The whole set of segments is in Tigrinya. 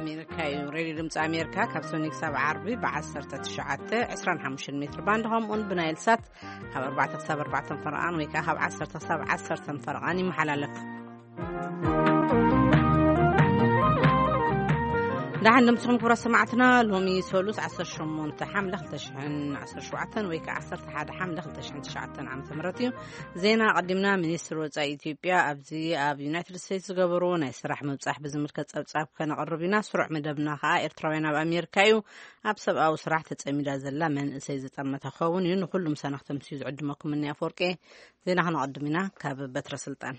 ኣሜሪካ እዩ። ሬድዮ ድምፂ ኣሜሪካ ካብ ሰኒ ክሳብ ዓርቢ ብ19፣ 25 ሜትር ባንድ፣ ከምኡውን ብናይል ሳት ካብ ኣርባዕተ ክሳብ ኣርባዕተ ፈረቓን ወይ ከዓ ካብ ዓሰርተ ክሳብ ዓሰርተ ፈረቓን ይመሓላለፍ። ደሓን ደምስኹም ክቡራት ሰማዕትና። ሎሚ ሰሉስ 18 ሓምለ 2017 ወይ ከዓ 11 ሓምለ 2009 ዓ.ም እዩ። ዜና ኣቐዲምና። ሚኒስትር ወጻኢ ኢትዮጵያ ኣብዚ ኣብ ዩናይትድ ስቴትስ ዝገበሩ ናይ ስራሕ ምብጻሕ ብዝምልከት ጸብጻብ ከነቕርብ ኢና። ስሩዕ መደብና ከኣ ኤርትራውያን ኣብ ኣሜሪካ እዩ። ኣብ ሰብኣዊ ስራሕ ተጸሚዳ ዘላ መንእሰይ ዝጠመተ ክኸውን እዩ። ንኹሉም ሰናኽተምቲ ዝዕድመኩም እኒ ኣፈወርቂ። ዜና ከነቐድም ኢና ካብ በትረ ስልጣን።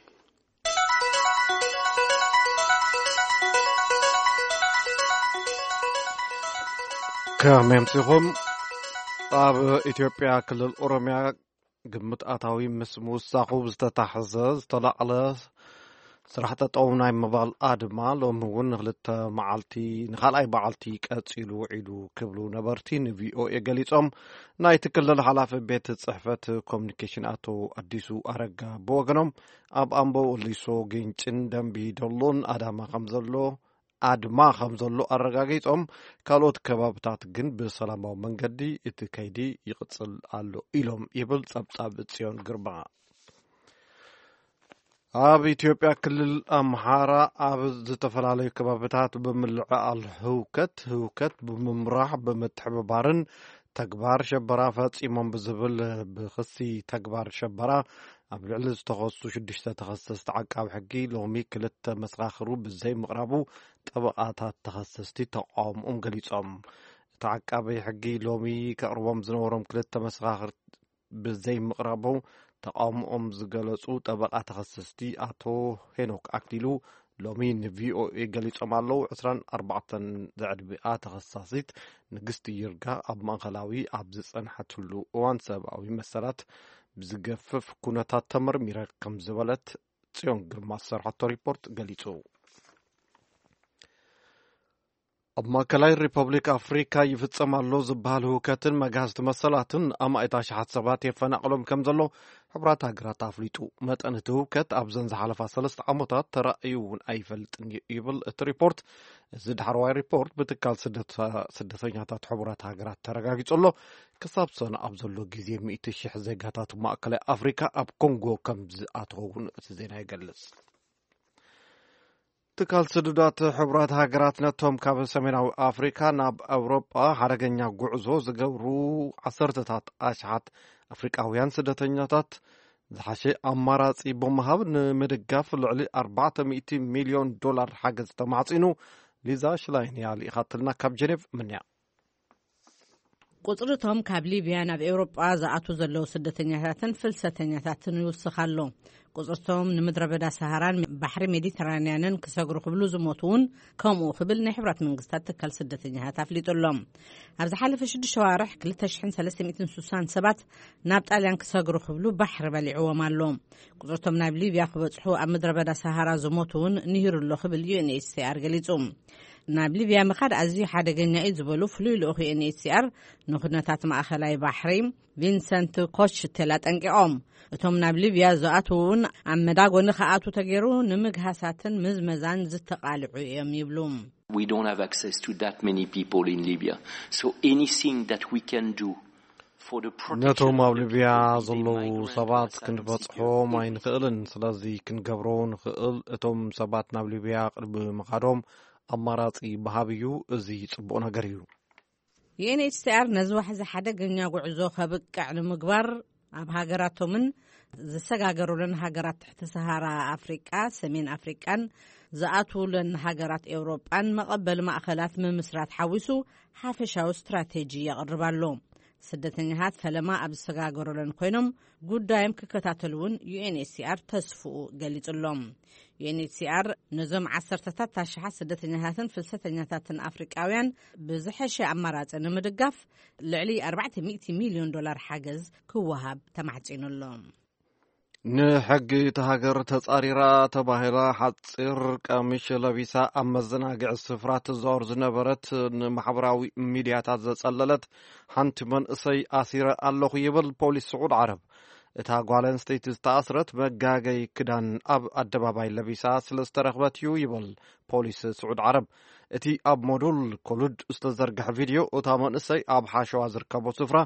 ከመይ ኣምሲኹም? ኣብ ኢትዮጵያ ክልል ኦሮምያ ግምት ኣታዊ ምስ ምውሳኹ ዝተታሕዘ ዝተላዕለ ስራሕ ጠጠው ናይ ምባል ኣድማ ሎሚ እውን ንክልተ መዓልቲ፣ ንኻልኣይ መዓልቲ ቀጺሉ ውዒሉ ክብሉ ነበርቲ ንቪኦኤ ገሊጾም። ናይቲ ክልል ሓላፊ ቤት ጽሕፈት ኮሚኒኬሽን ኣቶ ኣዲሱ ኣረጋ ብወገኖም ኣብ ኣምቦ፣ ወሊሶ፣ ግንጭን ደንቢ ዶሎን ኣዳማ ከም ዘሎ ኣድማ ከም ዘሎ ኣረጋጊጾም፣ ካልኦት ከባብታት ግን ብሰላማዊ መንገዲ እቲ ከይዲ ይቕጽል ኣሎ ኢሎም ይብል ጸብጻብ ጽዮን ግርማ። ኣብ ኢትዮጵያ ክልል ኣምሓራ ኣብ ዝተፈላለዩ ከባብታት ብምልዕዓል ህውከት፣ ህውከት ብምምራሕ ብምትሕብባርን ተግባር ሸበራ ፈጺሞም ብዝብል ብኽሲ ተግባር ሸበራ ኣብ ልዕሊ ዝተኸሱ ሽዱሽተ ተኸሰስቲ ዓቃቢ ሕጊ ሎሚ ክልተ መሰኻኽሩ ብዘይ ምቕራቡ ጠበቓታት ተኸሰስቲ ተቓውሞኦም ገሊጾም። እቲ ዓቃቢ ሕጊ ሎሚ ከቕርቦም ዝነበሮም ክልተ መሰኻኽር ብዘይ ምቕራቡ ተቓውሞኦም ዝገለጹ ጠበቓ ተኸሰስቲ ኣቶ ሄኖክ ኣክሊሉ ሎሚ ንቪኦኤ ገሊጾም ኣለዉ። 24 ዘዕድሚኣ ተኸሳሲት ንግስቲ ይርጋ ኣብ ማእከላዊ ኣብ ዝጸንሓትሉ እዋን ሰብኣዊ መሰላት ብዝገፍፍ ኩነታት ተመርሚረ ከም ዝበለት ጽዮን ግርማ ዝሰርሐቶ ሪፖርት ገሊጹ። ኣብ ማእከላይ ሪፐብሊክ ኣፍሪካ ይፍጸም ኣሎ ዝበሃል ህውከትን መግሃስቲ መሰላትን ኣማኢት ኣሽሓት ሰባት የፈናቕሎም ከም ዘሎ ሕቡራት ሃገራት ኣፍሊጡ። መጠን እቲ ህውከት ኣብዘን ዝሓለፋ ሰለስተ ዓመታት ተራእዩ እውን ኣይፈልጥን እዩ ይብል እቲ ሪፖርት። እዚ ዳሕረዋይ ሪፖርት ብትካል ስደተ-፣ ስደተኛታት ሕቡራት ሃገራት ተረጋጊጹ ኣሎ። ክሳብ ሰነ ኣብ ዘሎ ግዜ ሚእቲ ሽሕ ዜጋታት ማእከላይ ኣፍሪካ ኣብ ኮንጎ ከም ዝኣተወ እውን እቲ ዜና ይገልጽ። ትካል ስዱዳት ሕቡራት ሃገራት ነቶም ካብ ሰሜናዊ ኣፍሪካ ናብ ኣውሮጳ ሓደገኛ ጉዕዞ ዝገብሩ ዓሰርተታት ኣሽሓት ኣፍሪቃውያን ስደተኛታት ዝሓሸ ኣማራጺ ብምሃብ ንምድጋፍ ልዕሊ ኣርባዕተ ሚእቲ ሚልዮን ዶላር ሓገዝ ተማሕጺኑ። ሊዛ ሽላይን እያ ልኢኻትልና ካብ ጀኔቭ ምንያ። ቁጽርቶም ካብ ሊብያ ናብ ኤውሮጳ ዝኣትዉ ዘለዉ ስደተኛታትን ፍልሰተኛታትን ይውስኽ ኣሎ። ቁጽርቶም ንምድረ በዳ ሰሃራን ባሕሪ ሜዲተራንያንን ክሰግሩ ክብሉ ዝሞቱ እውን ከምኡ ክብል ናይ ሕብራት መንግስታት ትካል ስደተኛታት ኣፍሊጡ ኣሎ። ኣብ ዝሓለፈ ሽዱሽተ ሸዋርሕ 2,360 ሰባት ናብ ጣልያን ክሰግሩ ክብሉ ባሕሪ በሊዕዎም ኣሎ። ቁጽርቶም ናብ ሊብያ ክበጽሑ ኣብ ምድረ በዳ ሰሃራ ዝሞቱ እውን ንሂሩ ኣሎ ክብል ዩ ኤን ኤች ሲ ኣር ገሊጹ። ናብ ሊብያ ምኻድ ኣዝዩ ሓደገኛ እዩ ዝበሉ ፍሉይ ልኡኽ ዩ ኤን ኤች ሲ ኣር ንኩነታት ማእኸላይ ባሕሪ ቪንሰንት ኮሽቴል ኣጠንቂቖም። እቶም ናብ ሊብያ ዝኣትዉ እውን ኣብ መዳጎኒ ክኣትዉ ተገይሩ ንምግሃሳትን ምዝመዛን ዝተቓልዑ እዮም ይብሉ። We don't have access to that many people in Libya. So anything that we can do for the protection ነቶም ኣብ of the ሊብያ people who ዘለዉ may migrant ሰባት to asylum ክንበጽሖም seekers ኣይንኽእልን። ስለዚ ክንገብሮ ንኽእል እቶም ሰባት ናብ ሊብያ ቅድሚ ምኻዶም ኣማራጺ ምሃብ እዩ። እዚ ጽቡቕ ነገር እዩ። ዩ ኤን ኤች ሲ ኣር ነዚ ዋሕዚ ሓደገኛ ጉዕዞ ከብቅዕ ንምግባር ኣብ ሃገራቶምን ዝሰጋገሩለን ሃገራት ትሕቲ ሰሃራ ኣፍሪቃ፣ ሰሜን ኣፍሪቃን ዝኣትዉለን ሃገራት ኤውሮጳን መቐበሊ ማእኸላት ምምስራት ሓዊሱ ሓፈሻዊ ስትራቴጂ የቕርብ ኣሎ። ስደተኛታት ፈለማ ኣብ ዝሰጋገሩለን ኮይኖም ጉዳዮም ክከታተሉ እውን ዩ ኤን ኤች ሲ ኣር ተስፍኡ ገሊጹ ኣሎ። ዩ ኤን ኤች ሲ ኣር ነዞም ዓሰርተታት ኣሽሓት ስደተኛታትን ፍልሰተኛታትን ኣፍሪቃውያን ብዝሐሸ ኣማራጺ ንምድጋፍ ልዕሊ ኣርባዕተ ሚእቲ ሚልዮን ዶላር ሓገዝ ክወሃብ ተማሕጺኑ ኣሎ። ንሕጊ እታ ሃገር ተጻሪራ ተባሂላ ሓጺር ቀሚሽ ለቢሳ ኣብ መዘናግዒ ስፍራ ትዛወር ዝነበረት ንማሕበራዊ ሚድያታት ዘጸለለት ሓንቲ መንእሰይ ኣሲረ ኣለኹ ይብል ፖሊስ ስዑድ ዓረብ። እታ ጓል ኣንስተይቲ ዝተኣስረት መጋገይ ክዳን ኣብ ኣደባባይ ለቢሳ ስለ ዝተረኽበት እዩ ይብል ፖሊስ ስዑድ ዓረብ። እቲ ኣብ ሞዱል ኮሉድ ዝተዘርግሐ ቪድዮ፣ እታ መንእሰይ ኣብ ሓሸዋ ዝርከቦ ስፍራ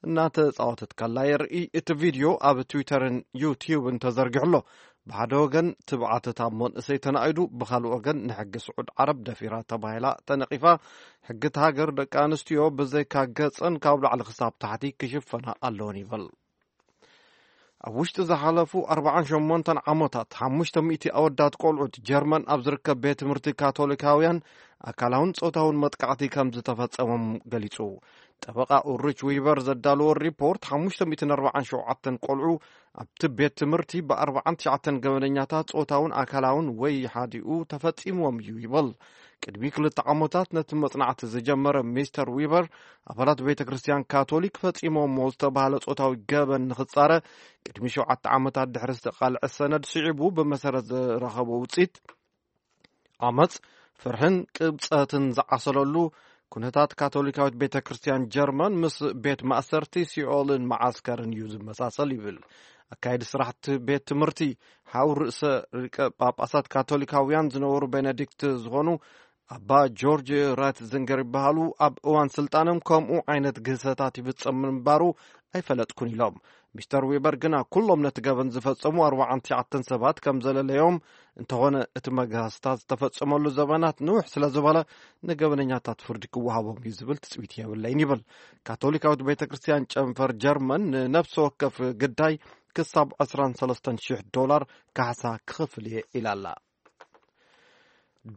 እናተጻወተት ከላ የርኢ። እቲ ቪድዮ ኣብ ትዊተርን ዩቲዩብን ተዘርጊሑ ኣሎ። ብሓደ ወገን ትብዓት እታ መንእሰይ ተናኢዱ፣ ብኻልእ ወገን ንሕጊ ስዑድ ዓረብ ደፊራ ተባሂላ ተነቒፋ። ሕጊ እቲ ሃገር ደቂ ኣንስትዮ ብዘይካ ገጸን ካብ ላዕሊ ክሳብ ታሕቲ ክሽፈና ኣለወን ይብል። ኣብ ውሽጢ ዝሓለፉ ኣርባዓን ሸሞንተን ዓመታት ሓሙሽተ ሚእቲ ኣወዳት ቆልዑት ጀርመን ኣብ ዝርከብ ቤት ትምህርቲ ካቶሊካውያን ኣካላውን ጾታውን መጥቃዕቲ ከም ዝተፈጸሞም ገሊጹ። ጠበቓ ኡልሪች ዊበር ዘዳለዎ ሪፖርት፣ ሓሙሽተ ሚእትን ኣርባዓን ሸውዓተን ቆልዑ ኣብቲ ቤት ትምህርቲ ብኣርባዓን ትሽዓተን ገበነኛታት ጾታውን ኣካላውን ወይ ሓዲኡ ተፈጺምዎም እዩ ይብል። ቅድሚ ክልተ ዓመታት ነቲ መጽናዕቲ ዝጀመረ ሚስተር ዊበር፣ ኣባላት ቤተ ክርስቲያን ካቶሊክ ፈጺሞሞ ዝተባህለ ጾታዊ ገበን ንኽጻረ፣ ቅድሚ ሸውዓተ ዓመታት ድሕሪ ዝተቓልዐ ሰነድ ስዒቡ ብመሰረት ዝረኸቦ ውጽኢት፣ ዓመጽ፣ ፍርሕን ቅብጸትን ዝዓሰለሉ ኩነታት ካቶሊካዊት ቤተ ክርስቲያን ጀርመን ምስ ቤት ማእሰርቲ ሲኦልን መዓስከርን እዩ ዝመሳሰል ይብል። ኣካየዲ ስራሕቲ ቤት ትምህርቲ፣ ሓው ርእሰ ሊቀ ጳጳሳት ካቶሊካውያን ዝነበሩ ቤነዲክት ዝኾኑ ኣባ ጆርጅ ራትዚንገር ይበሃሉ። ኣብ እዋን ስልጣኖም ከምኡ ዓይነት ግህሰታት ይፍጸም ምንባሩ ኣይፈለጥኩን ኢሎም። ሚስተር ዊበር ግና ኩሎም ነቲ ገበን ዝፈጸሙ ኣርባዓን ትሽዓተን ሰባት ከም ዘለለዮም፣ እንተኾነ እቲ መግሃስታት ዝተፈጸመሉ ዘበናት ንውሕ ስለ ዝበለ፣ ንገበነኛታት ፍርዲ ክወሃቦም እዩ ዝብል ትጽቢት የብለይን ይብል። ካቶሊካዊት ቤተ ክርስቲያን ጨንፈር ጀርመን ንነፍሲ ወከፍ ግዳይ ክሳብ ዕስራን ሰለስተን ሽሕ ዶላር ካሕሳ ክኸፍል እየ ኢላ ኣላ።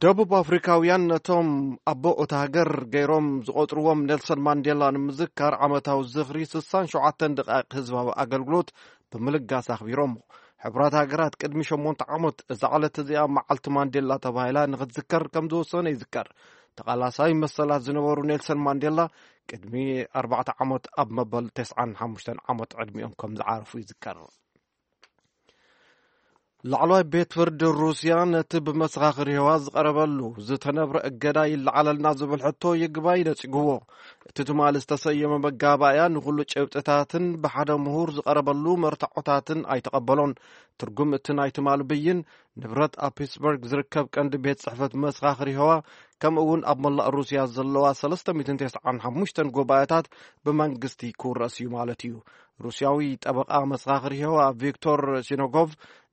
ደቡብ ኣፍሪካውያን ነቶም ኣቦ እታ ሃገር ገይሮም ዝቖጽርዎም ኔልሰን ማንዴላ ንምዝካር ዓመታዊ ዝኽሪ ስሳን ሸውዓተን ደቃይቕ ህዝባዊ ኣገልግሎት ብምልጋስ ኣኽቢሮም። ሕቡራት ሃገራት ቅድሚ ሸሞንተ ዓመት እዛ ዕለት እዚኣ መዓልቲ ማንዴላ ተባሂላ ንኽትዝከር ከም ዝወሰነ ይዝከር። ተቓላሳይ መሰላት ዝነበሩ ኔልሰን ማንዴላ ቅድሚ ኣርባዕተ ዓመት ኣብ መበል ተስዓን ሓሙሽተን ዓመት ዕድሚኦም ከም ዝዓረፉ ይዝከር። ላዕለዋይ ቤት ፍርዲ ሩስያ ነቲ ብመሰኻኽር የሆዋ ዝቐረበሉ ዝተነብረ እገዳ ይለዓለልና ዝብል ሕቶ ይግባይ ነጺግዎ። እቲ ትማሊ ዝተሰየመ መጋባእያ ንኹሉ ጭብጥታትን ብሓደ ምሁር ዝቐረበሉ መርትዖታትን ኣይተቐበሎን። ትርጉም እቲ ናይ ትማሊ ብይን፣ ንብረት ኣብ ፒትስበርግ ዝርከብ ቀንዲ ቤት ጽሕፈት መሰኻኽር የሆዋ፣ ከምኡ እውን ኣብ መላእ ሩስያ ዘለዋ ሰለስተ ሚእትን ተስዓን ሓሙሽተን ጉባኤታት ብመንግስቲ ክውረስ እዩ ማለት እዩ። ሩስያዊ ጠበቓ መሰኻኽር የሆዋ ቪክቶር ሲኖጎቭ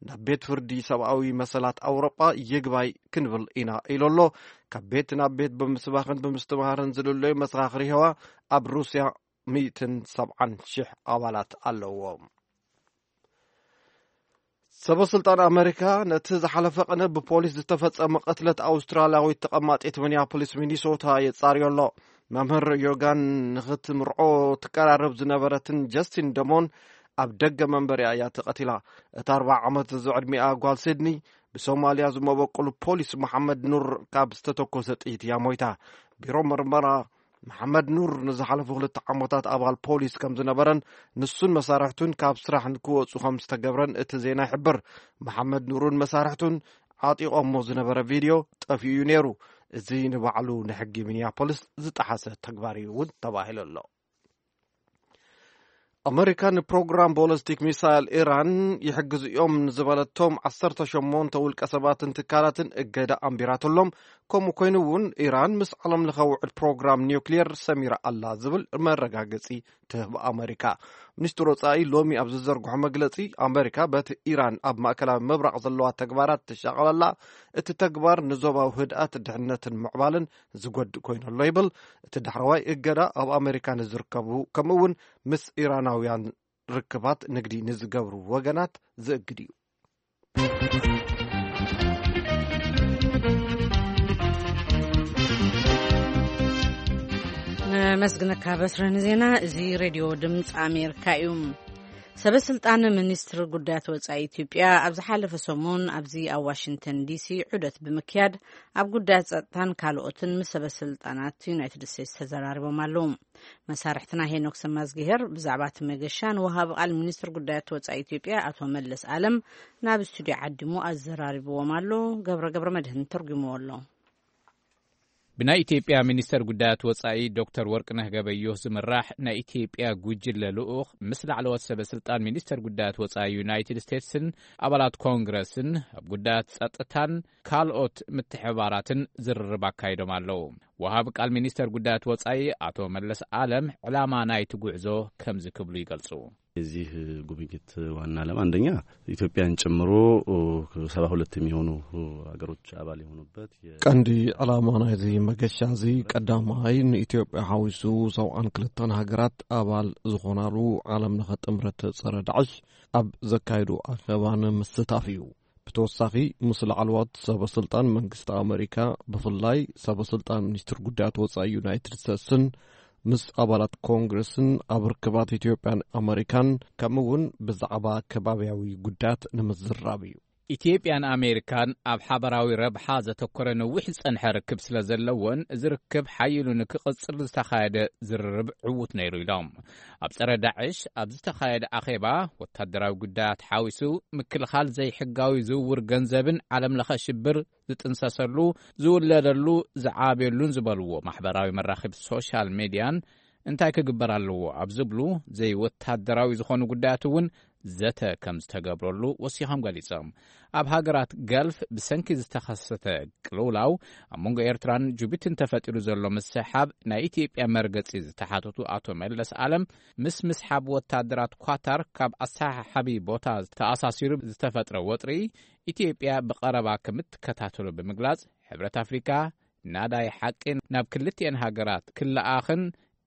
ናብ ቤት ፍርዲ ሰብኣዊ መሰላት ኣውሮጳ ይግባይ ክንብል ኢና ኢሉ ኣሎ። ካብ ቤት ናብ ቤት ብምስባኽን ብምስትምሃርን ዝልለዩ መሰኻኽር የሆዋ ኣብ ሩስያ ሚእትን ሰብዓን ሽሕ ኣባላት ኣለዎም። ሰበ ስልጣን ኣመሪካ ነቲ ዝሓለፈ ቅነ ብፖሊስ ዝተፈጸመ ቅትለት ኣውስትራልያዊት ተቐማጢት ሚኒያፖሊስ ሚኒሶታ የጻርዮ ኣሎ። መምህር ዮጋን ንኽትምርዖ ትቀራረብ ዝነበረትን ጀስቲን ደሞን ኣብ ደገ መንበሪያ እያ ተቐቲላ። እታ ኣርባዓ ዓመት ዝዕድሚኣ ጓል ሲድኒ ብሶማልያ ዝመበቁሉ ፖሊስ መሓመድ ኑር ካብ ዝተተኮሰ ጥይት እያ ሞይታ። ቢሮ ምርመራ መሓመድ ኑር ንዝሓለፉ ክልተ ዓመታት ኣባል ፖሊስ ከም ዝነበረን ንሱን መሳርሕቱን ካብ ስራሕ ንክወፁ ከም ዝተገብረን እቲ ዜና ይሕብር። መሓመድ ኑርን መሳርሕቱን ዓጢቖሞ ዝነበረ ቪድዮ ጠፊኡ እዩ ነይሩ። እዚ ንባዕሉ ንሕጊ ሚኒያፖሊስ ዝጠሓሰ ተግባር እዩ እውን ተባሂሉ ኣሎ። ኣመሪካ ንፕሮግራም ቦለስቲክ ሚሳይል ኢራን ይሕግዙ እዮም ንዝበለቶም ዓሰርተ ሸሞንተ ውልቀ ሰባትን ትካላትን እገዳ ኣንቢራትሎም። ከምኡ ኮይኑ እውን ኢራን ምስ ዓለም ለኸ ውዕል ፕሮግራም ኒውክሊየር ሰሚራ ኣላ ዝብል መረጋገፂ ትህብ ኣመሪካ። ሚኒስትር ወፃኢ ሎሚ ኣብ ዝዘርግሖ መግለፂ፣ ኣመሪካ በቲ ኢራን ኣብ ማእከላዊ ምብራቕ ዘለዋ ተግባራት ትሻቐለላ፣ እቲ ተግባር ንዞባዊ ህድኣት፣ ድሕነትን ምዕባልን ዝጎድእ ኮይኑ ኣሎ ይብል። እቲ ዳሕረዋይ እገዳ ኣብ ኣመሪካ ንዝርከቡ ከምኡ እውን ምስ ኢራናውያን ርክባት ንግዲ ንዝገብሩ ወገናት ዝእግድ እዩ። ነመስግነካ በስረ ንዜና። እዚ ሬድዮ ድምፂ ኣሜሪካ እዩ። ሰበ ስልጣን ሚኒስትሪ ጉዳያት ወፃኢ ኢትዮጵያ ኣብ ዝሓለፈ ሰሙን ኣብዚ ኣብ ዋሽንግተን ዲሲ ዑደት ብምክያድ ኣብ ጉዳያት ጸጥታን ካልኦትን ምስ ሰበ ስልጣናት ዩናይትድ ስቴትስ ተዘራሪቦም ኣለዉ። መሳርሕትና ሄኖክ ሰማዝግሄር ብዛዕባ እቲ መገሻ ንወሃቢ ቃል ሚኒስትር ጉዳያት ወጻኢ ኢትዮጵያ ኣቶ መለስ ኣለም ናብ ስቱዲዮ ዓዲሙ ኣዘራሪብዎም ኣሎ። ገብረ ገብረ መድህን ተርጉምዎ ኣሎ። ብናይ ኢትዮጵያ ሚኒስተር ጉዳያት ወጻኢ ዶክተር ወርቅነህ ገበዮህ ዝምራሕ ናይ ኢትዮጵያ ጉጅለ ልኡኽ ምስ ላዕለዎት ሰበ ስልጣን ሚኒስተር ጉዳያት ወጻኢ ዩናይትድ ስቴትስን ኣባላት ኮንግረስን ኣብ ጉዳያት ጸጥታን ካልኦት ምትሕባራትን ዝርርብ ኣካይዶም ኣለዉ። ወሃቢ ቃል ሚኒስተር ጉዳያት ወጻኢ ኣቶ መለስ ኣለም ዕላማ ናይቲ ጉዕዞ ከምዚ ክብሉ ይገልጹ። የዚህ ጉብኝት ዋና ዓላማ አንደኛ ኢትዮጵያን ጨምሮ ሰባ ሁለት የሚሆኑ ሀገሮች አባል የሆኑበት የ- ቀንዲ ዕላማ ናይዚ መገሻ እዚ ቀዳማይ ንኢትዮጵያ ሓዊሱ ሰብዓን ክልተን ሃገራት ኣባል ዝኾናሉ ዓለም ለኸ ጥምረት ጸረ ዳዕሽ ኣብ ዘካየዱ ኣኼባን ምስታፍ እዩ። ብተወሳኺ ምስ ላዕለዋት ሰበ ስልጣን መንግስቲ ኣመሪካ ብፍላይ ሰበ ስልጣን ሚኒስትር ጉዳያት ወጻኢ ዩናይትድ ስቴትስን ምስ ኣባላት ኮንግረስን ኣብ ርክባት ኢትዮጵያን ኣመሪካን ከምኡ እውን ብዛዕባ ከባብያዊ ጉዳያት ንምዝራብ እዩ። ኢትዮጵያን ኣሜሪካን ኣብ ሓበራዊ ረብሓ ዘተኮረ ነዊሕ ዝጸንሐ ርክብ ስለ ዘለዎን እዚ ርክብ ሓይሉ ንክቕጽል ዝተኻየደ ዝርርብ ዕዉት ነይሩ ኢሎም። ኣብ ጸረ ዳዕሽ ኣብ ዝተኻየደ ኣኼባ ወታደራዊ ጉዳያት ሓዊሱ ምክልኻል ዘይሕጋዊ ዝውውር ገንዘብን ዓለም ለኸ ሽብር ዝጥንሰሰሉ ዝውለደሉ ዝዓብየሉን ዝበልዎ ማሕበራዊ መራኸቢ ሶሻል ሜድያን እንታይ ክግበር ኣለዎ ኣብ ዝብሉ ዘይወታደራዊ ዝኾኑ ጉዳያት እውን ዘተ ከም ዝተገብረሉ ወሲኾም ገሊጾም። ኣብ ሃገራት ገልፍ ብሰንኪ ዝተኸሰተ ቅልውላው ኣብ መንጎ ኤርትራን ጅቡቲን ተፈጢሩ ዘሎ ምስሓብ ናይ ኢትዮጵያ መርገጺ ዝተሓተቱ ኣቶ መለስ ኣለም ምስ ምስሓብ ወታደራት ኳታር ካብ ኣሰሓሓቢ ቦታ ተኣሳሲሩ ዝተፈጥረ ወጥሪ ኢትዮጵያ ብቐረባ ከምትከታተሎ ብምግላጽ ሕብረት ኣፍሪካ ናዳይ ሓቂ ናብ ክልቲኤን ሃገራት ክለኣኽን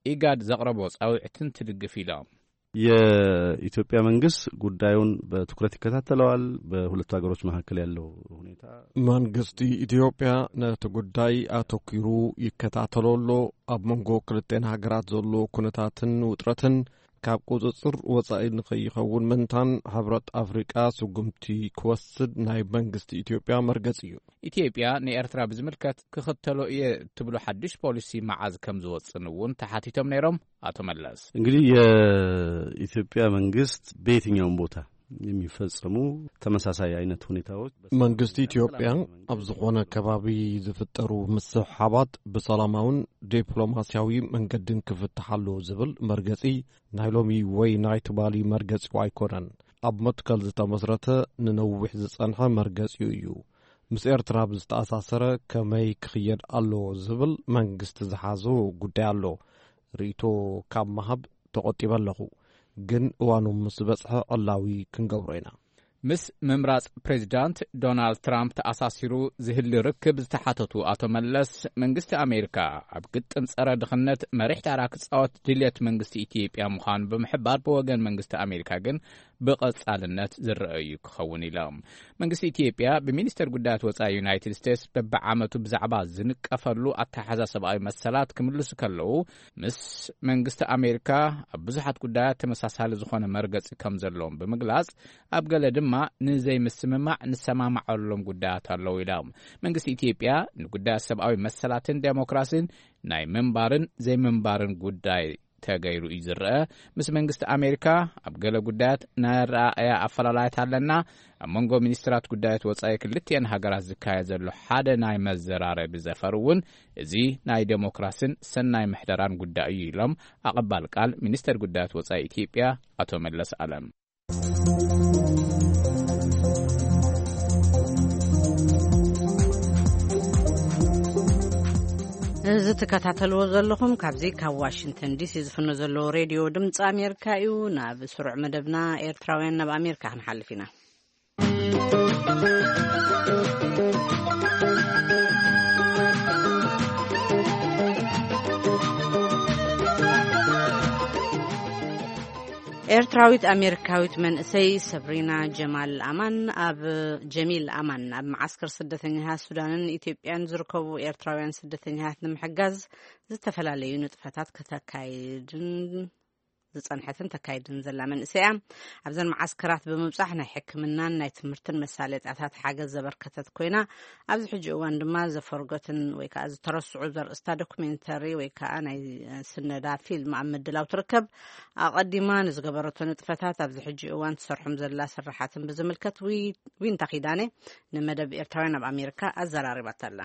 ኢጋድ ዘቕረቦ ጻውዒትን ትድግፍ ኢሎም። የኢትዮጵያ መንግስት ጉዳዩን በትኩረት ይከታተለዋል። በሁለቱ ሀገሮች መካከል ያለው ሁኔታ መንግስቲ ኢትዮጵያ ነቲ ጉዳይ ኣተኪሩ ይከታተሎ ኣሎ። ኣብ መንጎ ክልተን ሃገራት ዘሎ ኩነታትን ውጥረትን ካብ ቁጽጽር ወጻኢ ንኸይኸውን ምንታን ሕብረት ኣፍሪቃ ስጉምቲ ክወስድ ናይ መንግስቲ ኢትዮጵያ መርገጽ እዩ። ኢትዮጵያ ንኤርትራ ብዝምልከት ክኽተሎ እየ እትብሎ ሓድሽ ፖሊሲ መዓዝ ከም ዝወጽን እውን ተሓቲቶም ነይሮም ኣቶ መለስ። እንግዲህ የኢትዮጵያ መንግስት በየትኛውም ቦታ የሚፈጸሙ ተመሳሳይ አይነት ሁኔታዎች መንግስቲ ኢትዮጵያ ኣብ ዝኾነ ከባቢ ዝፍጠሩ ምስሕሓባት ብሰላማውን ዲፕሎማሲያዊ መንገድን ክፍትሓሉ ዝብል መርገጺ ናይ ሎሚ ወይ ናይ ትማሊ መርገጺ ኣይኮነን። ኣብ መትከል ዝተመስረተ ንነዊሕ ዝጸንሐ መርገጺኡ እዩ። ምስ ኤርትራ ብዝተኣሳሰረ ከመይ ክኽየድ ኣለዎ ዝብል መንግስቲ ዝሓዞ ጉዳይ ኣሎ። ርእይቶ ካብ ምሃብ ተቖጢበ ኣለኹ፣ ግን እዋኑ ምስ በጽሐ ዕላዊ ክንገብሮ ኢና። ምስ ምምራጽ ፕሬዚዳንት ዶናልድ ትራምፕ ተኣሳሲሩ ዝህሊ ርክብ ዝተሓተቱ ኣቶ መለስ፣ መንግስቲ ኣሜሪካ ኣብ ግጥም ጸረ ድኽነት መሪሕ ታራ ክጻወት ድልየት መንግስቲ ኢትዮጵያ ምዃኑ ብምሕባር፣ ብወገን መንግስቲ ኣሜሪካ ግን ብቐጻልነት ዝረኣዩ ክኸውን ኢሎም። መንግስቲ ኢትዮጵያ ብሚኒስተር ጉዳያት ወጻኢ ዩናይትድ ስቴትስ በብዓመቱ ብዛዕባ ዝንቀፈሉ ኣተሓዛ ሰብኣዊ መሰላት ክምልሱ ከለዉ፣ ምስ መንግስቲ ኣሜሪካ ኣብ ብዙሓት ጉዳያት ተመሳሳሊ ዝኾነ መርገጺ ከም ዘለዎም ብምግላጽ፣ ኣብ ገለ ድማ ንዘይምስምማዕ ንሰማማዓሎም ጉዳያት ኣለዉ ኢሎም። መንግስቲ ኢትዮጵያ ንጉዳያት ሰብኣዊ መሰላትን ዴሞክራሲን ናይ ምንባርን ዘይምንባርን ጉዳይ ተገይሩ እዩ ዝረአ። ምስ መንግስቲ ኣሜሪካ ኣብ ገለ ጉዳያት ናይ ኣረኣእያ ኣፈላላያት ኣለና። ኣብ መንጎ ሚኒስትራት ጉዳያት ወጻኢ ክልቲኤን ሃገራት ዝካየድ ዘሎ ሓደ ናይ መዘራረቢ ዘፈር እውን እዚ ናይ ዴሞክራሲን ሰናይ ምሕደራን ጉዳይ እዩ ኢሎም ኣቐባል ቃል ሚኒስተር ጉዳያት ወጻኢ ኢትዮጵያ ኣቶ መለስ ኣለም። እዚ ትከታተልዎ ዘለኹም ካብዚ ካብ ዋሽንግተን ዲሲ ዝፍኖ ዘለዎ ሬድዮ ድምፂ ኣሜሪካ እዩ። ናብ ስሩዕ መደብና ኤርትራውያን ናብ ኣሜሪካ ክንሓልፍ ኢና። ኤርትራዊት ኣሜሪካዊት መንእሰይ ሰብሪና ጀማል ኣማን ኣብ ጀሚል ኣማን ኣብ መዓስከር ስደተኛታት ሱዳንን ኢትዮጵያን ዝርከቡ ኤርትራውያን ስደተኛታት ንምሕጋዝ ዝተፈላለዩ ንጥፈታት ከተካይድን ዝጸንሐትን ተካይድን ዘላ መንእሰይ እያ። ኣብዘን መዓስከራት ብምብጻሕ ናይ ሕክምናን ናይ ትምህርትን መሳለጥያታት ሓገዝ ዘበርከተት ኮይና፣ ኣብዚ ሕጂ እዋን ድማ ዘፈርገትን ወይ ከዓ ዝተረስዑ ዘርእስታ ዶኩሜንተሪ ወይ ከዓ ናይ ስነዳ ፊልም ኣብ ምድላው ትርከብ። ኣቐዲማ ንዝገበረቶ ንጥፈታት ኣብዚ ሕጂ እዋን ትሰርሖም ዘላ ስራሓትን ብዝምልከት ዊ- ዊንታ ኪዳነ ንመደብ ኤርትራውያን ኣብ ኣሜሪካ ኣዘራሪባታ ኣላ።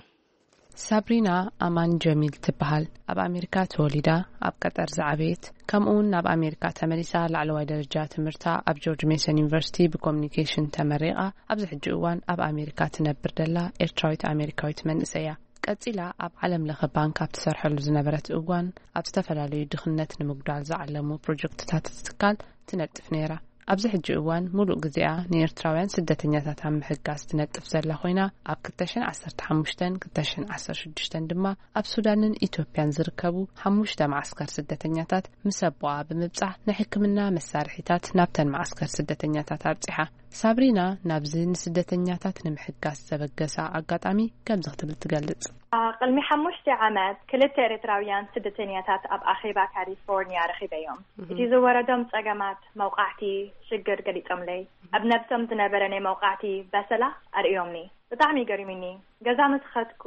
ሳብሪና ኣማን ጀሚል ትበሃል። ኣብ ኣሜሪካ ተወሊዳ፣ ኣብ ቀጠር ዝዓበየት፣ ከምኡውን ናብ ኣሜሪካ ተመሊሳ ላዕለዋይ ደረጃ ትምህርታ ኣብ ጆርጅ ሜሰን ዩኒቨርሲቲ ብኮሚኒኬሽን ተመሪቓ፣ ኣብዚ ሕጂ እዋን ኣብ ኣሜሪካ ትነብር ደላ ኤርትራዊት ኣሜሪካዊት መንእሰይ እያ። ቀጺላ ኣብ ዓለም ለኸ ባንክ ኣብ ትሰርሐሉ ዝነበረት እዋን፣ ኣብ ዝተፈላለዩ ድኽነት ንምጉዳል ዝዓለሙ ፕሮጀክትታት ትካል ትነጥፍ ነይራ። ኣብዚ ሕጂ እዋን፣ ሙሉእ ግዜኣ ንኤርትራውያን ስደተኛታት ኣብ ምሕጋዝ ትነጥፍ ዘላ ኮይና፣ ኣብ ክልተ ሽሕን ዓሰርተ ሓሙሽተን ክልተ ሽሕን ዓሰርተ ሽዱሽተን ድማ ኣብ ሱዳንን ኢትዮጵያን ዝርከቡ ሓሙሽተ መዓስከር ስደተኛታት ምስ ኣቦኣ ብምብጻሕ፣ ናይ ሕክምና መሳርሒታት ናብተን መዓስከር ስደተኛታት ኣብጺሓ። ሳብሪና ናብዚ ንስደተኛታት ንምሕጋዝ ዘበገሳ ኣጋጣሚ ከምዚ ክትብል ትገልጽ። አ፣ ቅድሚ ሓሙሽተ ዓመት ክልተ ኤርትራውያን ስደተኛታት ኣብ ኣኼባ ካሊፎርኒያ ረኺበዮም። እቲ ዝወረዶም ጸገማት መውቃዕቲ ሽግር ገሊጾምለይ። ኣብ ነብሶም ዝነበረ ናይ መውቃዕቲ በሰላ ኣርእዮምኒ። ብጣዕሚ ገሪሙኒ። ገዛ ምስ ኸድኩ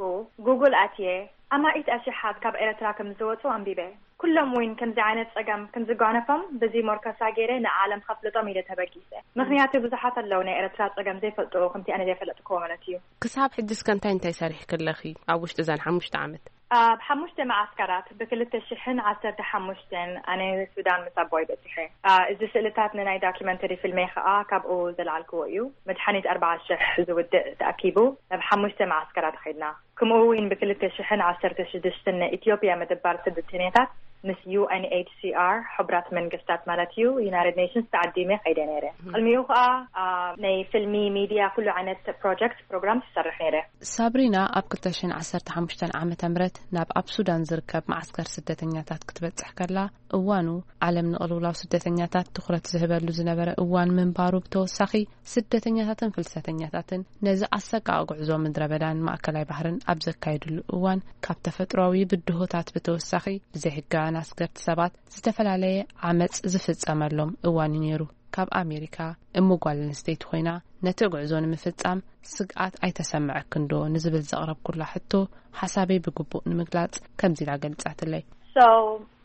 ጉግል ኣትየ ኣማኢት ኣሽሓት ካብ ኤርትራ ከም ዝወጹ ኣንቢበ። ኩሎም እውን ከምዚ ዓይነት ጸገም ከም ዝጓነፎም በዚ ሞርከሳ ገይረ ንዓለም ከፍልጦም ኢለ ተበጊሰ። ምኽንያቱ ብዙሓት ኣለዉ ናይ ኤርትራ ጸገም ዘይፈልጡ ከምቲ ኣነ ዘይፈለጥክዎ ማለት እዩ። ክሳብ ሕጂ እስከ እንታይ እንታይ ሰሪሕኪ ኣለኺ ኣብ ውሽጢ እዘን ሓሙሽተ ዓመት? ኣብ ሓሙሽተ መዓስከራት ብክልተ ሽሕን ዓሰርተ ሓሙሽተን ኣነ ሱዳን ምስ ኣቦይ በጺሐ። አ፣ እዚ ስእልታት ንናይ ዶክመንተሪ ፊልመይ ከኣ ካብኡ ዘልዓልክዎ እዩ። መድሓኒት ኣርባዓ ሽሕ ዝውድእ ተኣኪቡ ናብ ሓሙሽተ መዓስከራት ኸይድና። ከምኡ እውን ብክልተ ሽሕን ዓሰርተ ሽዱሽተን ናይ ኢትዮጵያ ምድባር ስደተኛታት ምስ ዩ ኤን ኤች ሲ ኣር፣ ሕቡራት መንግስታት ማለት እዩ፣ ዩናይትድ ኔሽንስ ተዓዲመ ከይደ ነይረ። ቅድሚኡ ከኣ፣ አ፣ ናይ ፊልሚ፣ ሚድያ፣ ኩሉ ዓይነት ፕሮጀክት፣ ፕሮግራም ትሰርሕ ነይረ። ሳብሪና ኣብ ክልተ ሽሕን ዓሰርተ ሓሙሽተን ዓመተ ምህረት ናብ ኣብ ሱዳን ዝርከብ መዓስከር ስደተኛታት ክትበጽሕ ከላ፣ እዋኑ ዓለም ንቕልውላው ስደተኛታት ትኹረት ዝህበሉ ዝነበረ እዋን ምንባሩ ብተወሳኺ፣ ስደተኛታትን ፍልሰተኛታትን ነዚ ኣሰቃቒ ጉዕዞ ምድረ በዳን ማእከላይ ባህርን ኣብ ዘካየድሉ እዋን፣ ካብ ተፈጥሮኣዊ ብድሆታት ብተወሳኺ፣ ብዘይሕጋውያን ኣስገርቲ ሰባት ዝተፈላለየ ዓመጽ ዝፍጸመሎም እዋን እዩ ነይሩ። ካብ ኣሜሪካ እሞ ጓል ኣንስተይቲ ኮይና፣ ነቲ ጉዕዞ ንምፍጻም ስግኣት ኣይተሰምዐክን ዶ ንዝብል ዘቕረብኩላ ሕቶ፣ ሓሳበይ ብግቡእ ንምግላጽ ከምዚ ኢላ ገሊጻትለይ። So,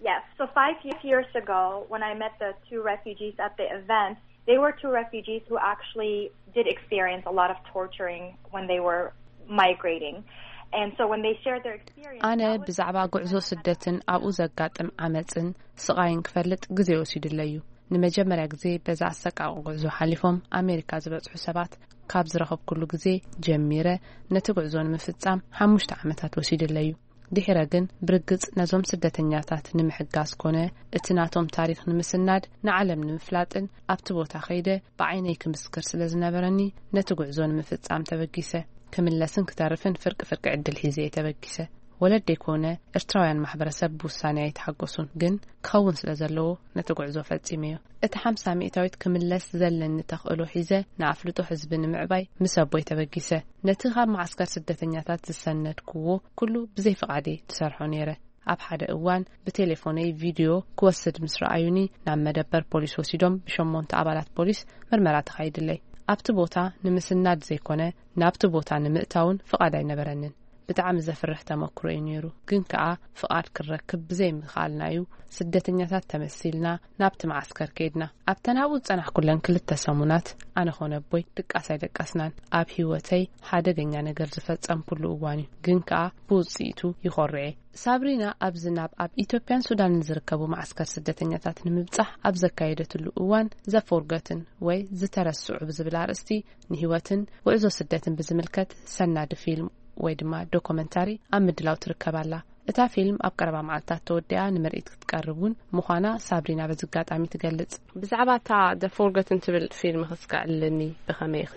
yes, so five years ago, when I met the two refugees at the event, they were two refugees who actually did experience a lot of torturing when they were migrating. And so when they shared their experience, ኣነ that was ብዛዕባ ጉዕዞ ስደትን ኣብኡ ዘጋጥም ዓመጽን ስቓይን ክፈልጥ ግዜ ወሲዱለይ እዩ። ንመጀመርያ ግዜ በዛ ኣሰቃቂ ጉዕዞ ሓሊፎም ኣሜሪካ ዝበጽሑ ሰባት ካብ ዝረኸብኩሉ ግዜ ጀሚረ፣ ነቲ ጉዕዞ ንምፍጻም ሓሙሽተ ዓመታት ወሲዱለይ እዩ። ድሒረ ግን፣ ብርግጽ ነዞም ስደተኛታት ንምሕጋዝ ኮነ እቲ ናቶም ታሪኽ ንምስናድ፣ ንዓለም ንምፍላጥን ኣብቲ ቦታ ከይደ ብዓይነይ ክምስክር ስለ ዝነበረኒ፣ ነቲ ጉዕዞ ንምፍጻም ተበጊሰ። ክምለስን ክተርፍን ፍርቂ ፍርቂ ዕድል ሒዘ እየ ተበጊሰ። ወለደይ ኮነ ኤርትራውያን ማሕበረሰብ ብውሳኔ ኣይተሓጎሱን፣ ግን ክኸውን ስለ ዘለዎ ነቲ ጉዕዞ ፈጺመዮ። እቲ ሓምሳ ሚእታዊት ክምለስ ዘለኒ ተኽእሎ ሒዘ ንኣፍልጦ ህዝቢ ንምዕባይ ምስ ኣቦይ ተበጊሰ። ነቲ ካብ መዓስከር ስደተኛታት ዝሰነድክዎ ኩሉ ብዘይ ፍቓደይ ትሰርሖ ነይረ። ኣብ ሓደ እዋን ብቴሌፎነይ ቪድዮ ክወስድ ምስ ረኣዩኒ፣ ናብ መደበር ፖሊስ ወሲዶም ብሸሞንተ ኣባላት ፖሊስ ምርመራ ተኻይድለይ። ኣብቲ ቦታ ንምስናድ ዘይኮነ፣ ናብቲ ቦታ ንምእታውን ፍቓድ ኣይነበረንን። ብጣዕሚ ዘፍርሕ ተመክሮ እዩ ነይሩ። ግን ከኣ ፍቓድ ክረክብ ብዘይምኽኣልና እዩ ስደተኛታት ተመሲልና ናብቲ መዓስከር ከይድና። ኣብተን ኣብኡ ዝጸናሕኩለን ክልተ ሰሙናት ኣነ ኮነ ኣቦይ ድቃስ ኣይደቀስናን። ኣብ ህይወተይ ሓደገኛ ነገር ዝፈጸምኩሉ እዋን እዩ። ግን ከኣ ብውጽኢቱ ይኾርዕ እየ። ሳብሪና ኣብዚ ናብ ኣብ ኢትዮጵያን ሱዳንን ዝርከቡ መዓስከር ስደተኛታት ንምብጻሕ ኣብ ዘካየደትሉ እዋን ዘፎርገትን ወይ ዝተረስዑ ብዝብል ኣርእስቲ ንህይወትን ጉዕዞ ስደትን ብዝምልከት ሰናዲ ፊልም ወይ ድማ ዶኮመንታሪ ኣብ ምድላው ትርከብ ኣላ። እታ ፊልም ኣብ ቀረባ መዓልታት ተወዲኣ ንምርኢት ክትቀርብ እውን ምዃና ሳብሪና በዚ ኣጋጣሚ ትገልጽ። ብዛዕባ እታ The Forgotten ትብል ፊልም ክስከዐልኒ ብኸመይ ኢኺ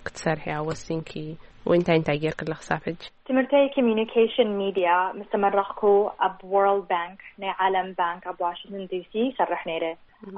ክትሰርሕያ ወሲንኪ? ወይ እንታይ እንታይ ጌርክላ ክሳብ ሕጂ? ትምህርተይ ኮሚኒኬሽን ሚድያ ምስ ተመረቕኩ ኣብ ወርልድ ባንክ ናይ ዓለም ባንክ ኣብ ዋሽንግተን ዲሲ ይሰርሕ ነይረ።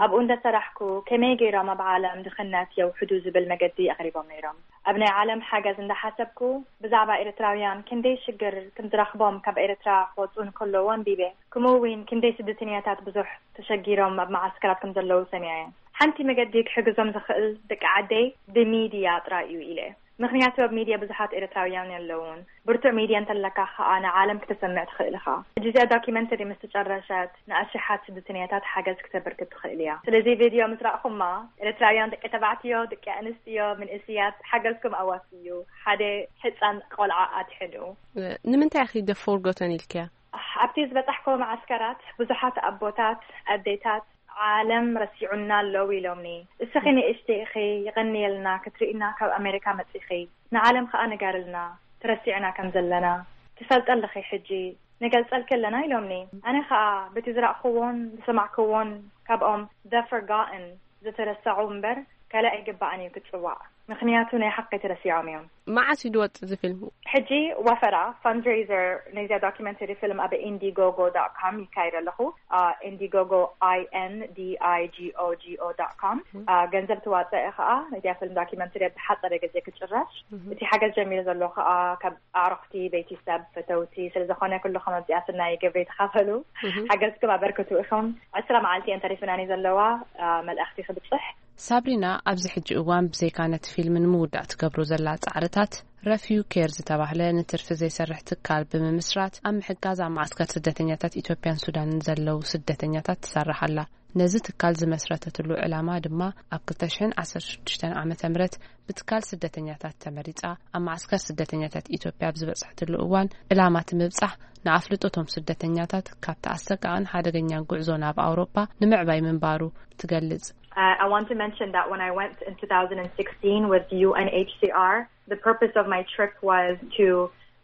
ኣብኡ እንዳሰራሕኩ ከመይ ገይሮም ኣብ ዓለም ድኽነት የውሕዱ ዝብል መገዲ ኣቕሪቦም ነይሮም። ኣብ ናይ ዓለም ሓገዝ እንዳሓሰብኩ ብዛዕባ ኤርትራውያን ክንደይ ሽግር ከም ዝረኽቦም ካብ ኤርትራ ክወፁ እንከለዉ ኣንቢበ። ከምኡ እውን ክንደይ ስደተኛታት ብዙሕ ተሸጊሮም ኣብ መዓስከራት ከም ዘለዉ ሰሚዐ። ሓንቲ መገዲ ክሕግዞም ዝኽእል ደቂ ዓደይ ብሚድያ ጥራይ እዩ ኢለ። ምኽንያቱ ኣብ ሚድያ ብዙሓት ኤርትራውያን የለውን። ብርቱዕ ሚድያ እንተለካ ኸኣ ንዓለም ክተሰምዕ ትኽእል ኢኻ። ሕጂ እዚኣ ዶኪመንተሪ ምስ ተጨረሸት ንኣሽሓት ስደተኛታት ሓገዝ ክተበርክት ትኽእል እያ። ስለዚ ቪድዮ ምስ ረኣኹማ ኤርትራውያን ደቂ ተባዕትዮ፣ ደቂ ኣንስትዮ፣ መንእስያት ሓገዝኩም ኣዋፍዩ። ሓደ ሕጻን ቆልዓ ኣድሕኑ። ንምንታይ ኢኺ The Forgotten ኢልክያ? ኣብቲ ዝበጻሕክዎ መዓስከራት ብዙሓት ኣቦታት፣ ኣዴታት፣ ዓለም ረሲዑና ኣለዉ ኢሎምኒ። እስኺ ንእሽቲ ኢኺ፣ ይቐንየልና ክትርእይና ካብ ኣሜሪካ መጺኺ። ንዓለም ከኣ ንገርልና፣ ተረሲዕና ከም ዘለና። ትፈልጢ ኣለኺ ሕጂ፣ ንገልጸልኪ ኣለና ኢሎምኒ። ኣነ ከኣ በቲ ዝረእክዎን ዝሰማዕክዎን ካብኦም The Forgotten፣ ዝተረሰዑ እምበር ካልእ ኣይግባእን እዩ ክጽዋዕ። ምኽንያቱ ናይ ሓቂ ተረሲዖም እዮም። መዓስ እዩ ዝወጽእ እዚ ፊልም? ሕጂ ወፈራ፣ ፈንድሬዘር፣ ናይዚኣ ዶኪመንተሪ ፊልም ኣብ ኢንዲጎጎ ዶት ኮም ይካየድ ኣለኹ። ኢንዲጎጎ፣ I N D I G O G O dot com። ገንዘብ ትዋጽእ ከኣ ነዚኣ ፊልም ዶኪመንተሪ ኣብ ዝሓጸረ ግዜ ክጭረሽ። እቲ ሓገዝ ጀሚሩ ዘሎ ከኣ ካብ ኣዕሩኽቲ፣ ቤተሰብ፣ ፈተውቲ ስለ ዝኾነ ኩልኹም ኣብዚኣ ስናይ ግብሪ ተኻፈሉ። ሓገዝኩም ኣበርክቱ ኢኹም። ዕስራ መዓልቲ እየን ተሪፍናኒ ዘለዋ፣ መልእኽቲ ክብጽሕ። ሳብሪና ኣብዚ ሕጂ እዋን ብዘይካ ነቲ ፊልም ንምውዳእ ትገብሮ ዘላ ጻዕርታት፣ ረፊዩ ኬር ዝተባህለ ንትርፊ ዘይሰርሕ ትካል ብምምስራት ኣብ ምሕጋዝ ኣብ ማዓስከር ስደተኛታት ኢትዮጵያን ሱዳንን ዘለዉ ስደተኛታት ትሰርሕ ኣላ። ነዚ ትካል ዝመስረተትሉ ዕላማ ድማ ኣብ ክልተ ሽሕን ዓሰርተ ሽዱሽተን ዓመተ ምህረት ብትካል ስደተኛታት ተመሪጻ ኣብ ማዓስከር ስደተኛታት ኢትዮጵያ ኣብ ዝበጽሐትሉ እዋን ዕላማ እቲ ምብጻሕ ንኣፍልጦቶም ስደተኛታት ካብቲ ኣሰቃቕን ሓደገኛን ጉዕዞ ናብ ኣውሮፓ ንምዕባይ ምንባሩ ትገልጽ። Uh, I want to mention that when I went in two thousand sixteen with U N H C R, the purpose of my trip was to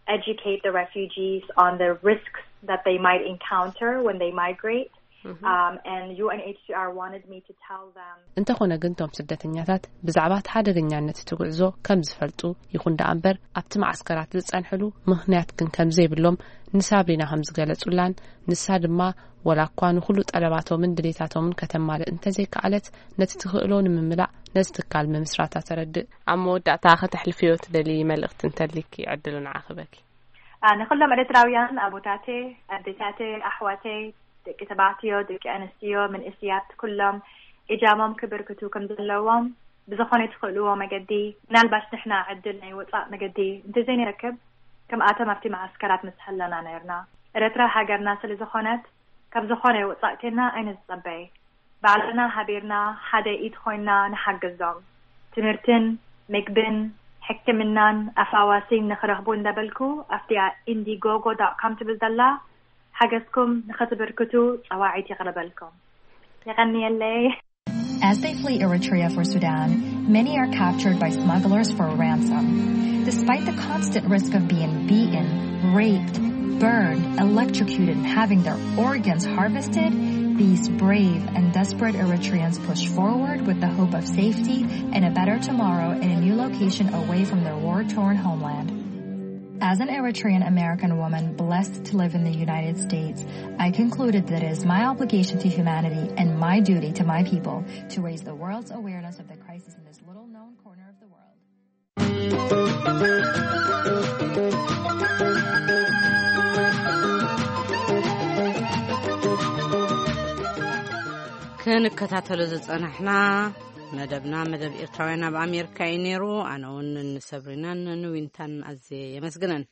educate the refugees on the risks that they might encounter when they migrate. Um, and U N H C R wanted me to tell them. እንተኾነ ግን እቶም ስደተኛታት ብዛዕባ እቲ ሓደገኛነት እቲ ጉዕዞ ከም ዝፈልጡ ይኹን ደኣ እምበር ኣብቲ ማዓስከራት ዝጸንሕሉ ምኽንያት ግን ከም ዘይብሎም ንሳብሪና ከም ዝገለጹላን ንሳ ድማ ወላ እኳ ንኹሉ ጠለባቶምን ድሌታቶምን ከተማልእ እንተዘይከኣለት ነቲ ትኽእሎ ንምምላእ ነዚ ትካል ምምስራታ ተረድእ። ኣብ መወዳእታ ከተሕልፍዮ ትደሊ መልእኽቲ እንተሊኪ ዕድሉ ንዓኺ በኪ። ንኹሎም ኤርትራውያን ኣቦታተይ፣ ኣዴታተይ፣ ኣሕዋተይ፣ ደቂ ተባዕትዮ፣ ደቂ ኣንስትዮ፣ መንእስያት ኩሎም እጃሞም ክብርክቱ ከም ዘለዎም ብዝኾነ ትኽእልዎ መገዲ፣ ምናልባሽ ንሕና ዕድል ናይ ወጻእ መገዲ እንተዘይንረክብ ከምኣቶም ኣብቲ መዓስከራት ምስ ሃለና ነርና። ኤርትራ ሃገርና ስለ ዝኾነት ካብ ዝኾነ ወጻእ ኬና ኣይንጸበይ። ባዕልና ሃቢርና ሓደ ኢድ ኮይና ንሓግዞም። ትምህርትን ምግብን ሕክምናን ኣፋዋሲን ንኽረኽቡ እንዳበልኩ ኣብቲኣ ኢንዲጎጎ ዶት ኮም ትብል ዘላ ሓገዝኩም ንኸትብርክቱ ጸዋዒት የቕርበልኩም። የቐንየለይ። As they flee Eritrea for Sudan, many are captured by smugglers for ransom. Despite the constant risk of being beaten, raped, burned, electrocuted, and having their organs harvested, these brave and desperate Eritreans push forward with the hope of safety and a better tomorrow in a new location away from their war-torn homeland. As an Eritrean American woman blessed to live in the United States, I concluded that it is my obligation to humanity and my duty to my people to raise the world's awareness of the crisis in this little known corner of the world. ክንከታተሎ ዝጸናሕና መደብና፣ መደብ ኤርትራውያን ኣብ ኣሜሪካ እዩ ነይሩ። ኣነ እውን ንሰብሪናን ንዊንታን ኣዝየ የመስግነን።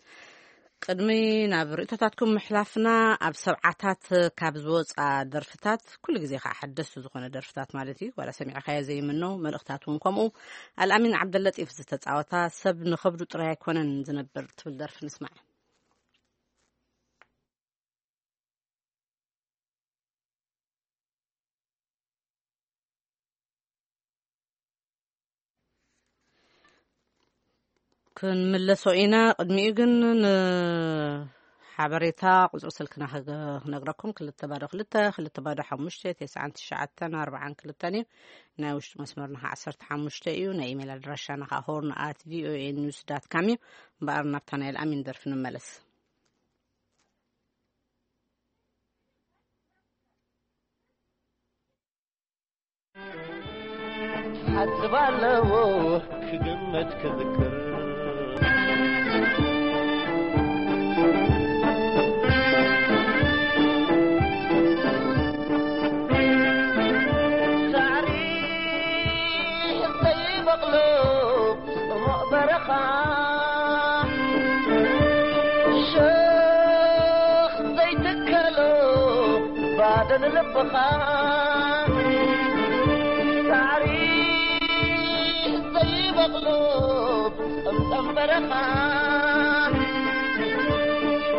ቅድሚ ናብ ርእቶታትኩም ምሕላፍና፣ ኣብ ሰብዓታት ካብ ዝወጻ ደርፍታት፣ ኩሉ ግዜ ከዓ ሓደስቲ ዝኾነ ደርፍታት ማለት እዩ፣ ዋላ ሰሚዕካዮ ዘይምኖ፣ መልእኽታት እውን ከምኡ። ኣልኣሚን ዓብደለጢፍ ዝተጻወታ ሰብ ንኸብዱ ጥራይ ኣይኮነን ዝነብር ትብል ደርፊ ንስማዕ። ክንምለሶ ኢና። ቅድሚኡ ግን ንሓበሬታ ቁጽሪ ስልክና ክነግረኩም፣ ክልተ ባዶ ክልተ፣ ክልተ ባዶ ሓሙሽተ፣ ተስዓን ትሽዓተን ኣርባዓን ክልተን እዩ። ናይ ውሽጢ መስመርና ከዓ ዓሰርተ ሓሙሽተ እዩ። ናይ ኢሜይል ኣድራሻና ከዓ ሆርን ኣት ቪኦኤ ኒውስ ዳት ካም እዩ። እምበኣር ናብታ ናይ ኣልኣሚን ደርፊ ንመለስ። ሓጽብ ኣለዎ ክግመት ክዝክር። ሳዕሪ ዘይበቕሎ ጽሙቕ በረኻ ባዶ ንልብኻ ሳዕሪ ዘይበቕሎ ጸምጸም በረኻ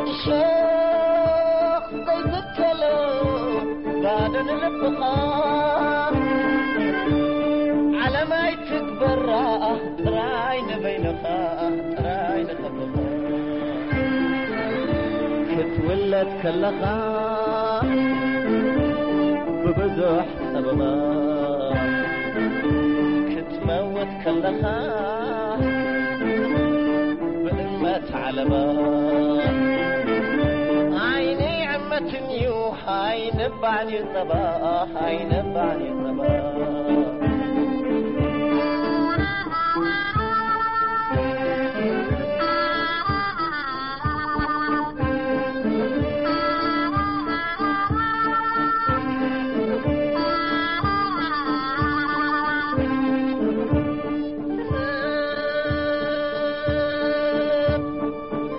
እሾኽ ዘይትከሎ ባዶ ንልብኻ ዓለም ኣይትግበራ ጥራይ ንበይንኻ ጥራይ ንኸብኻ ክትውለድ ከለኻ ብብዙሕ ጸበባ ክትመውት ከለኻ ብእመት ዓለባ ዓይነይ ዕመትን እዩ ኣይነባዕን እዩ ጸባ ኣይነባዕን እዩ ጸባ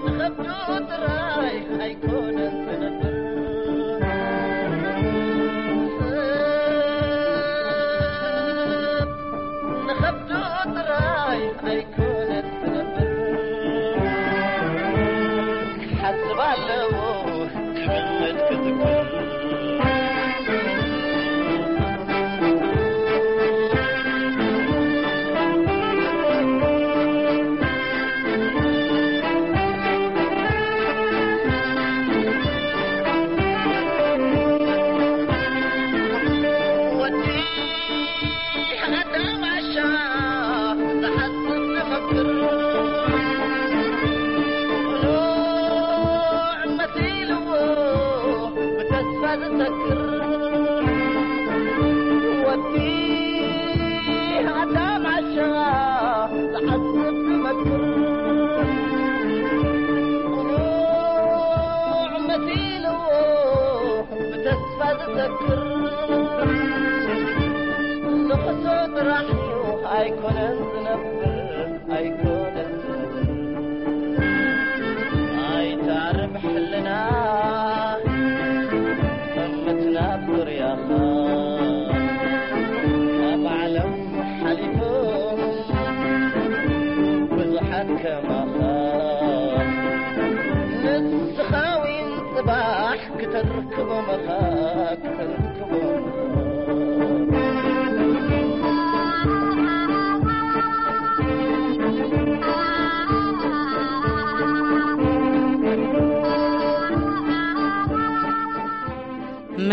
ንኸብዱ ጥራይ ኣይኮነን ዝነብር ንኸብዱ ጥራይ ኣይኮነን ዝነብር ሓስብ ኣለዎ ክሕመድ ክዝክር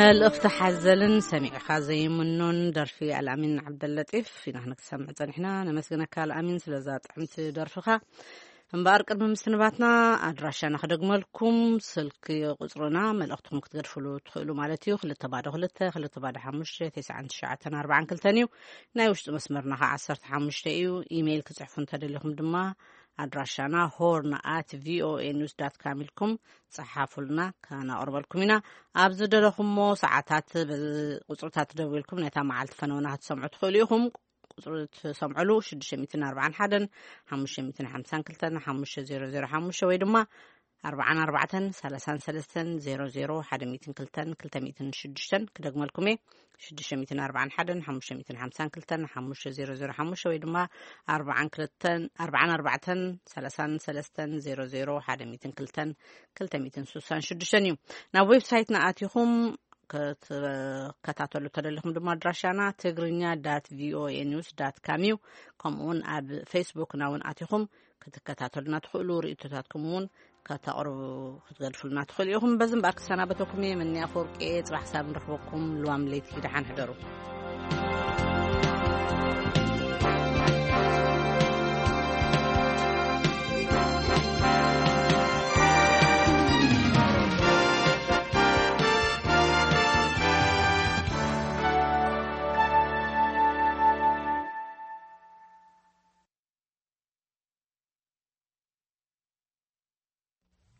መልእኽቲ ሓዘልን ሰሚዕኻ ዘይምኖን ደርፊ ኣልኣሚን ዓብደለጢፍ ኢና ክንሰምዕ ጸኒሕና። ነመስግነካ ኣልኣሚን ስለዛ ጥዕምቲ ደርፍኻ። እምበኣር ቅድሚ ምስንባትና ኣድራሻና ክደግመልኩም፣ ስልኪ ቁጽርና መልእኽትኹም ክትገድፍሉ ትኽእሉ ማለት እዩ። ክልተ ባዶ ክልተ፣ ክልተ ባዶ ሓሙሽተ፣ ተስዓን ትሽዓተን ኣርባዓን ክልተን እዩ። ናይ ውሽጢ መስመርና ኸዓ ዓሰርተ ሓሙሽተ እዩ። ኢሜይል ክጽሕፉ እንተደሊኹም ድማ ኣድራሻና ሆርን ኣት ቪኦኤ ኒውስ ዳት ካም ኢልኩም ጸሓፉልና፣ ከነቕርበልኩም ኢና። ኣብ ዝደለኹሞ ሰዓታት በዚ ቁጽርታት ደዊልኩም ነታ መዓልቲ ፈነውና ክትሰምዑ ትኽእሉ ኢኹም። ቁጽሪ ትሰምዑሉ ሽዱሽተ ሚእትን ኣርባዓን ሓደን ሓሙሽተ ሚእትን ሓምሳን ክልተን ሓሙሽተ ዜሮ ዜሮ ሓሙሽተ ወይ ድማ ኣርባዓን ኣርባዕተን ሰላሳን ሰለስተን ዜሮ ዜሮ ሓደ ሚእትን ክልተን ክልተ ሚእትን ሽዱሽተን ክደግመልኩም እየ። ሽዱሽተ ሚእትን ኣርባዓን ሓደን ሓሙሽተ ሚእትን ሓምሳን ክልተን ሓሙሽተ ዜሮ ዜሮ ሓሙሽተ ወይ ድማ ኣርባዓን ክልተን ኣርባዓን ኣርባዕተን ሰላሳን ሰለስተን ዜሮ ዜሮ ሓደ ሚእትን ክልተን ክልተ ሚእትን ስሳን ሽዱሽተን እዩ። ናብ ዌብሳይትና ኣቲኹም ክትከታተሉ ተደሊኹም ድማ ኣድራሻና ትግርኛ ዳት ቪኦኤ ኒውስ ዳት ካም እዩ። ከምኡውን ኣብ ፌስቡክና እውን ኣቲኹም ክትከታተሉና ትኽእሉ። ርእቶታትኩም እውን ከተቕርቡ ክትገድፉልና ትኽእሉ ኢኹም። በዚ እምበኣር ክሰናበተኩም እየ። መኒ ኣፈወርቂ እየ። ጽባሕ ክሳብ ንረኽበኩም ልዋም ለይቲ ደሓን ሕደሩ።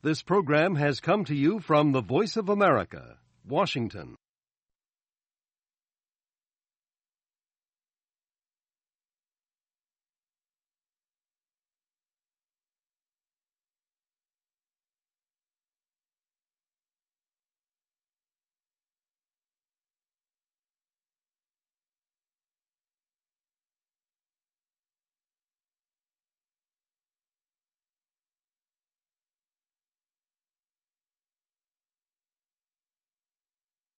This program has come to you from the Voice of America, Washington.